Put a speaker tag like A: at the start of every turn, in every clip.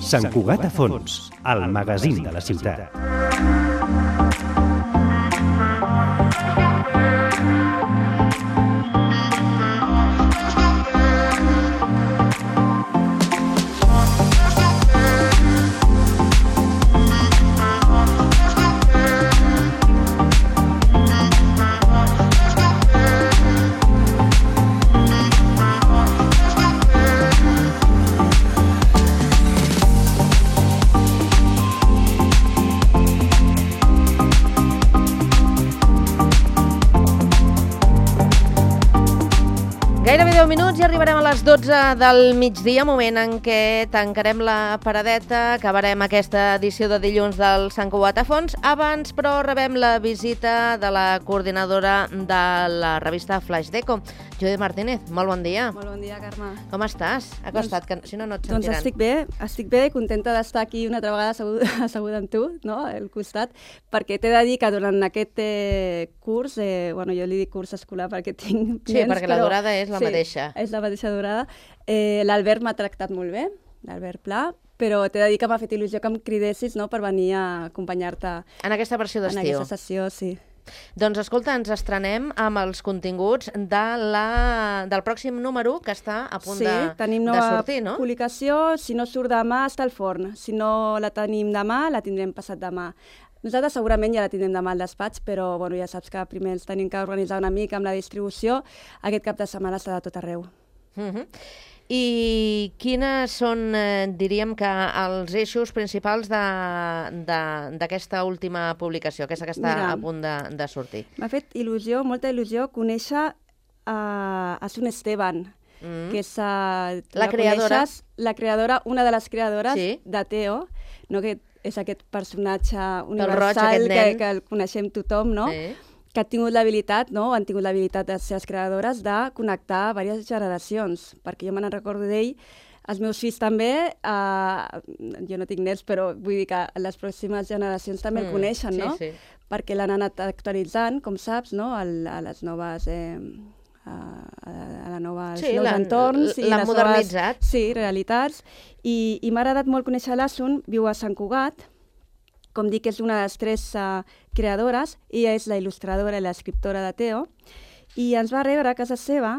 A: Sant Cugat a fons, el magazín de la ciutat.
B: Gairebé 10 minuts i arribarem a les 12 del migdia, moment en què tancarem la paradeta, acabarem aquesta edició de dilluns del Sant Cugat a fons. Abans, però, rebem la visita de la coordinadora de la revista Flaix Deco, Judit Martínez. Molt bon dia.
C: Molt bon dia, Carme.
B: Com estàs? Acosta't, que si no, no et sentiran.
C: Doncs estic bé, contenta d'estar aquí una altra vegada asseguda amb tu, no?, al costat, perquè t'he de dir que durant aquest curs, jo li dic curs escolar perquè tinc
B: Sí, perquè la durada és la mateixa.
C: Sí, és la mateixa durada. L'Albert m'ha tractat molt bé, l'Albert Pla, però t'he de dir que m'ha fet il·lusió que em cridessis, no?, per venir a acompanyar-te
B: en aquesta versió d'estiu.
C: En aquesta sessió, sí.
B: Doncs escolta, ens estrenem amb els continguts del pròxim número que està a punt de sortir, no?
C: Sí, tenim nova publicació. Si no surt demà, està al forn. Si no la tenim demà, la tindrem passat demà. Nosaltres segurament ja la tindrem demà al despatx, però ja saps que primer ens tenim que organitzar una mica amb la distribució. Aquest cap de setmana està de tot arreu.
B: I quines són, diríem que, els eixos principals d'aquesta última publicació, aquesta que està a punt de sortir?
C: M'ha fet il·lusió, molta il·lusió, conèixer a Sun Esteban, que és
B: la creadora.
C: La creadora, una de les creadores de Teo, no, que és aquest personatge universal que el coneixem tothom, no? Que han tingut l'habilitat, no? Han tingut l'habilitat de ser les creadores de connectar diverses generacions, perquè jo me n'en recordo d'ell, els meus fills també, jo no tinc nets, però vull dir que les pròximes generacions també el coneixen, no? Perquè l'han anat actualitzant, com saps, no? A les noves... nous entorns.
B: L'han modernitzat.
C: Sí, realitats. I m'ha agradat molt conèixer l'Asun, viu a Sant Cugat, com dic, és una de les 3 creadores, ella és la il·lustradora i l'escriptora de Teo, i ens va rebre a casa seva,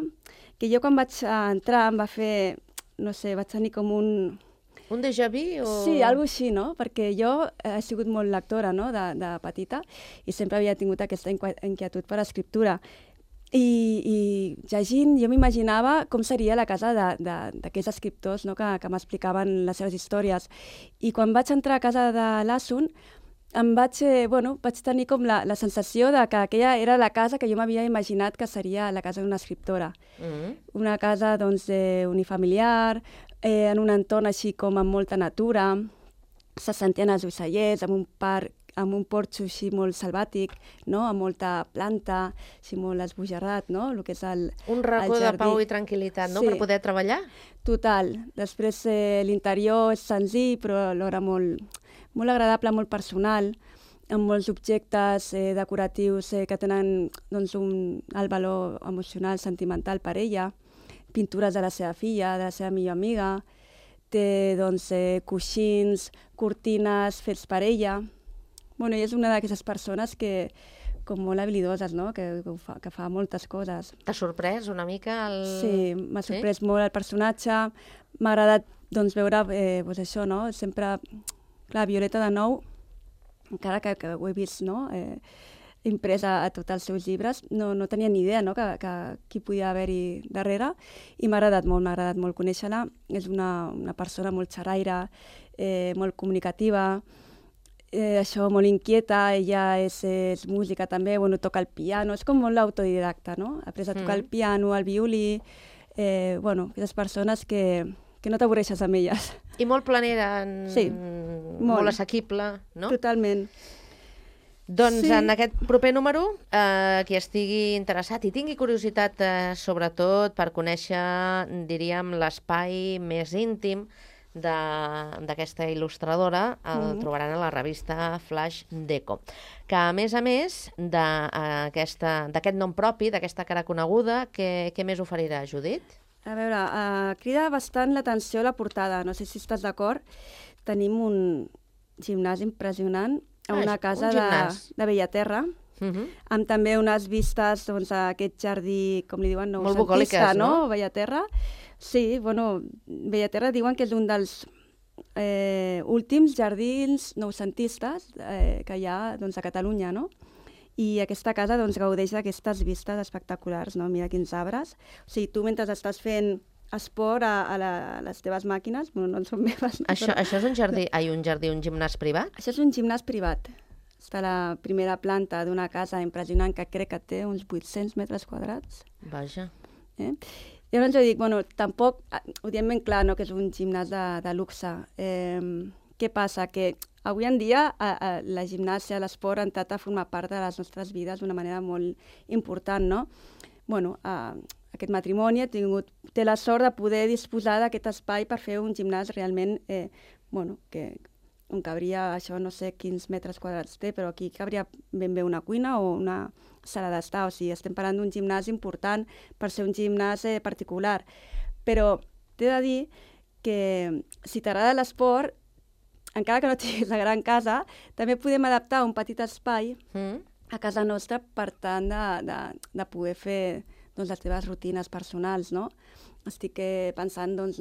C: que jo quan vaig entrar em va fer, no sé, vaig tenir com un...
B: Un déjà vu?
C: Sí, alguna cosa així, no? Perquè jo he sigut molt lectora, no?, de petita, i sempre havia tingut aquesta inquietud per l'escriptura. I llegint, jo m'imaginava com seria la casa d'aquests escriptors, no?, que m'explicaven les seves històries. I quan vaig entrar a casa de l'Asun, vaig tenir com la sensació de que aquella era la casa que jo m'havia imaginat que seria la casa d'una escriptora. Una casa, doncs, unifamiliar, en un entorn així com amb molta natura, se sentien els ocellers, amb un parc, amb un porxo així molt selvàtic, no?, amb molta planta, així molt esbojarrat, no?, el que és el jardí.
B: Un racó de pau i tranquil·litat, no?, per poder treballar?
C: Total. Després l'interior és senzill, però alhora molt agradable, molt personal, amb molts objectes decoratius que tenen, doncs, un alt valor emocional, sentimental per ella, pintures de la seva filla, de la seva millor amiga, té, doncs, coixins, cortines fets per ella. Bueno, ella és una d'aquestes persones que, com molt habilidoses, no?, que fa moltes coses.
B: T'ha sorprès una mica el...
C: Sí, m'ha sorprès molt el personatge. M'ha agradat, doncs, veure, doncs això, no?, sempre... Clar, Violeta de Nou, encara que ho he vist, no?, impresa a tots els seus llibres, no tenia ni idea, no?, que qui podia haver-hi darrere, i m'ha agradat molt conèixer-la. És una persona molt xerraire, molt comunicativa, això, molt inquieta. Ella és música també, toca el piano, és com molt autodidacta, no? Ha après a tocar el piano, el violí, aquestes persones que no t'avorreixes amb elles.
B: I molt planera,
C: sí,
B: molt assequible, no?
C: Totalment.
B: Doncs sí. En aquest proper número, qui estigui interessat i tingui curiositat sobretot per conèixer, diríem, l'espai més íntim d'aquesta il·lustradora, el trobaran a la revista Flaix Deco, que a més d'aquest nom propi, d'aquesta cara coneguda, què més oferirà, Judit?
C: A veure, crida bastant l'atenció la portada, no sé si estàs d'acord. tenim un gimnàs impressionant a una casa de Bellaterra, amb també unes vistes doncs, a aquest jardí, com li diuen, noucentista, no? Bellaterra. Sí, bueno, Bellaterra diuen que és un dels últims jardins noucentistes que hi ha doncs, a Catalunya, no? I aquesta casa doncs, gaudeix d'aquestes vistes espectaculars, no? Mira quins arbres. O sigui, tu mentre estàs fent esport a les teves màquines, bueno, no en són meves. No,
B: això és un jardí, un gimnàs privat?
C: Això és un gimnàs privat. Està a la primera planta d'una casa impressionant que crec que té uns 800 metres quadrats.
B: Vaja.
C: Llavors jo dic, bueno, tampoc, ho diem ben clar, no, que és un gimnàs de luxe. Què passa? Que avui en dia la gimnàsia, l'esport, ha entrat a formar part de les nostres vides d'una manera molt important, no? Bueno, aquest matrimoni té la sort de poder disposar d'aquest espai per fer un gimnàs realment, on cabria, això no sé quins metres quadrats té, però aquí cabria ben bé una cuina o una sala d'estar. O sigui, estem parlant d'un gimnàs important per ser un gimnàs particular. Però t'he de dir que si t'agrada l'esport, encara que no tinguis la gran casa, també podem adaptar un petit espai a casa nostra per tant de poder fer doncs, les teves rutines personals, no? Estic pensant, doncs,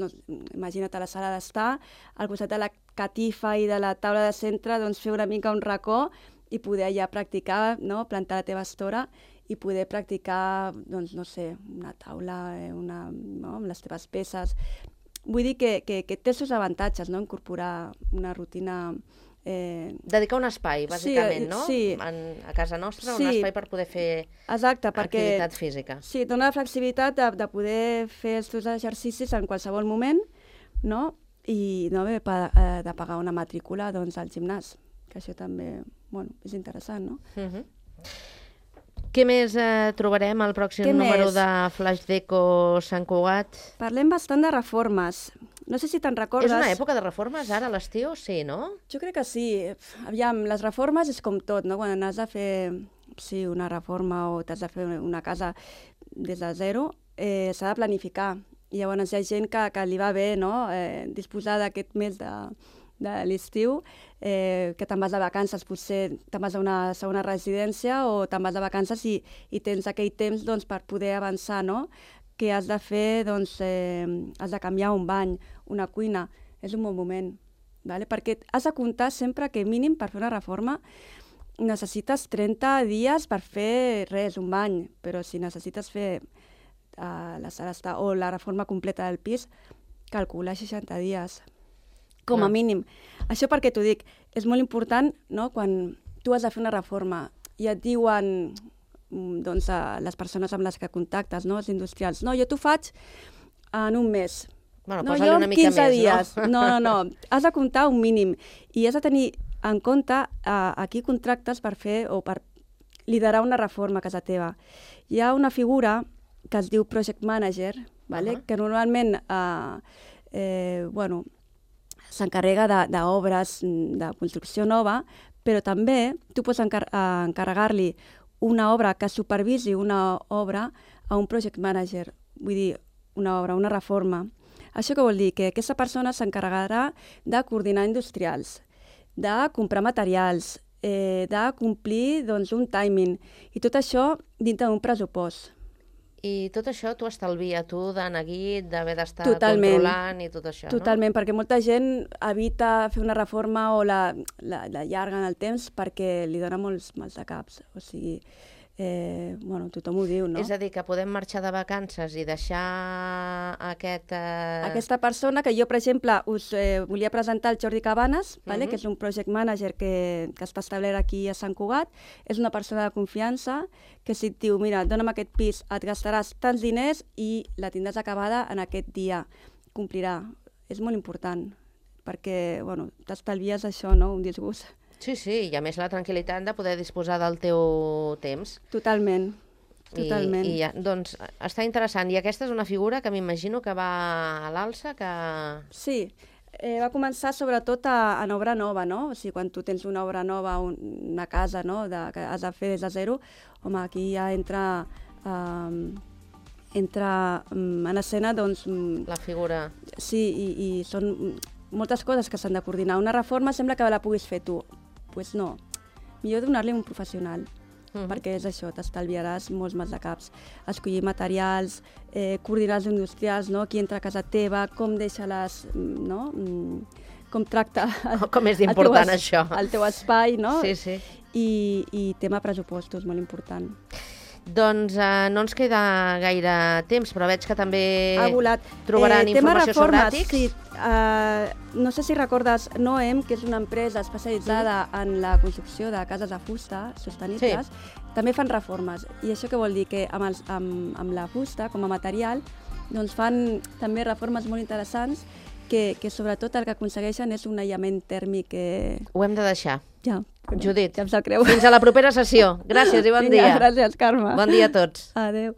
C: imagina't a la sala d'estar, al costat de la catifa i de la taula de centre, doncs, fer una mica un racó i poder allà practicar, no? Plantar la teva estora i poder practicar, doncs, no sé, una taula, no? Amb les teves peces. Vull dir que té els seus avantatges, no? Incorporar una rutina...
B: Dedicar un espai, bàsicament, no?
C: Sí.
B: A casa nostra, un espai per poder fer activitat física.
C: Sí, dona la flexibilitat de poder fer els teus exercicis en qualsevol moment, no? I no haver de pagar una matrícula doncs, al gimnàs, que això també és interessant, no?
B: Què més trobarem al pròxim número de Flaix Deco Sant Cugat?
C: Parlem bastant de reformes. No sé si te'n recordes...
B: És una època de reformes, ara, a l'estiu? Sí, no?
C: Jo crec que sí. Aviam, les reformes és com tot, no? Quan has de fer una reforma o t'has de fer una casa des de zero, s'ha de planificar. I llavors hi ha gent que li va bé, no? Disposar d'aquest mes de l'estiu, que te'n vas de vacances, potser te'n vas a una segona residència o te'n vas de vacances i tens aquell temps doncs, per poder avançar, no? Que has de fer, doncs, has de canviar un bany, una cuina, és un bon moment, ¿vale? Perquè has de comptar sempre que mínim per fer una reforma necessites 30 dies per fer res, un bany, però si necessites fer la sala d'estar o la reforma completa del pis, calcula 60 dies, com a mínim. Això perquè t'ho dic, és molt important, no?, quan tu has de fer una reforma i et diuen... doncs, a les persones amb les que contactes, no? Els industrials. No, jo t'ho faig en un mes.
B: Bueno, posa-li una mica més,
C: dies. No. Has de comptar un mínim i has de tenir en compte a qui contractes per fer o per liderar una reforma a casa teva. Hi ha una figura que es diu Project Manager, ¿vale? Que normalment s'encarrega d'obres de construcció nova, però també tu pots encarregar-li una obra que supervisi una obra a un project manager, vull dir, una obra, una reforma. Això què vol dir? Que aquesta persona s'encarregarà de coordinar industrials, de comprar materials, de complir doncs, un timing, i tot això dintre d'un pressupost.
B: I tot això t'ho estalvia, tu d'anar guit, d'haver d'estar controlant i tot això, no?
C: Totalment, perquè molta gent evita fer una reforma o la llarga en el temps perquè li dona molts mals de caps. O sigui, tothom ho diu, no?
B: És a dir, que podem marxar de vacances i deixar
C: aquesta persona que jo, per exemple, us volia presentar el Jordi Cabanes, que és un project manager que està establert aquí a Sant Cugat. És una persona de confiança que si et diu, mira, dona'm aquest pis, et gastaràs tants diners i la tindràs acabada en aquest dia. Complirà. És molt important, perquè t'estalvies això, no? Un disgust.
B: Sí, i a més la tranquil·litat de poder disposar del teu temps.
C: Totalment.
B: I doncs està interessant. I aquesta és una figura que m'imagino que va a l'alça, que...
C: Sí, va començar sobretot en obra nova, no? O sigui, quan tu tens una obra nova, una casa, no?, que has de fer des de zero, home, aquí ja entra en escena, doncs...
B: La figura.
C: Sí, i són moltes coses que s'han de coordinar. Una reforma sembla que la puguis fer tu. Doncs no, millor donar-li un professional, perquè és això, t'estalviaràs molts mals de caps. Escollir materials, coordinar els industrials, no? Qui entra a casa teva, com deixa les... No? Com tracta
B: com és important això.
C: El teu espai, no?
B: Sí, sí.
C: I tema pressupostos, molt important.
B: Doncs no ens queda gaire temps, però veig que també
C: trobaran
B: informació sobre àtics.
C: Sí, no sé si recordes Noem, que és una empresa especialitzada en la construcció de cases de fusta sostenibles, també fan reformes. I això què vol dir? Que amb la fusta, com a material, doncs fan també reformes molt interessants que sobretot el que aconsegueixen és un aïllament tèrmic.
B: Ho hem de deixar.
C: Ja.
B: Judit,
C: ja em sap greu.
B: Fins a la propera sessió. Gràcies i bon dia.
C: Gràcies, Carme.
B: Bon dia a tots.
C: Adéu.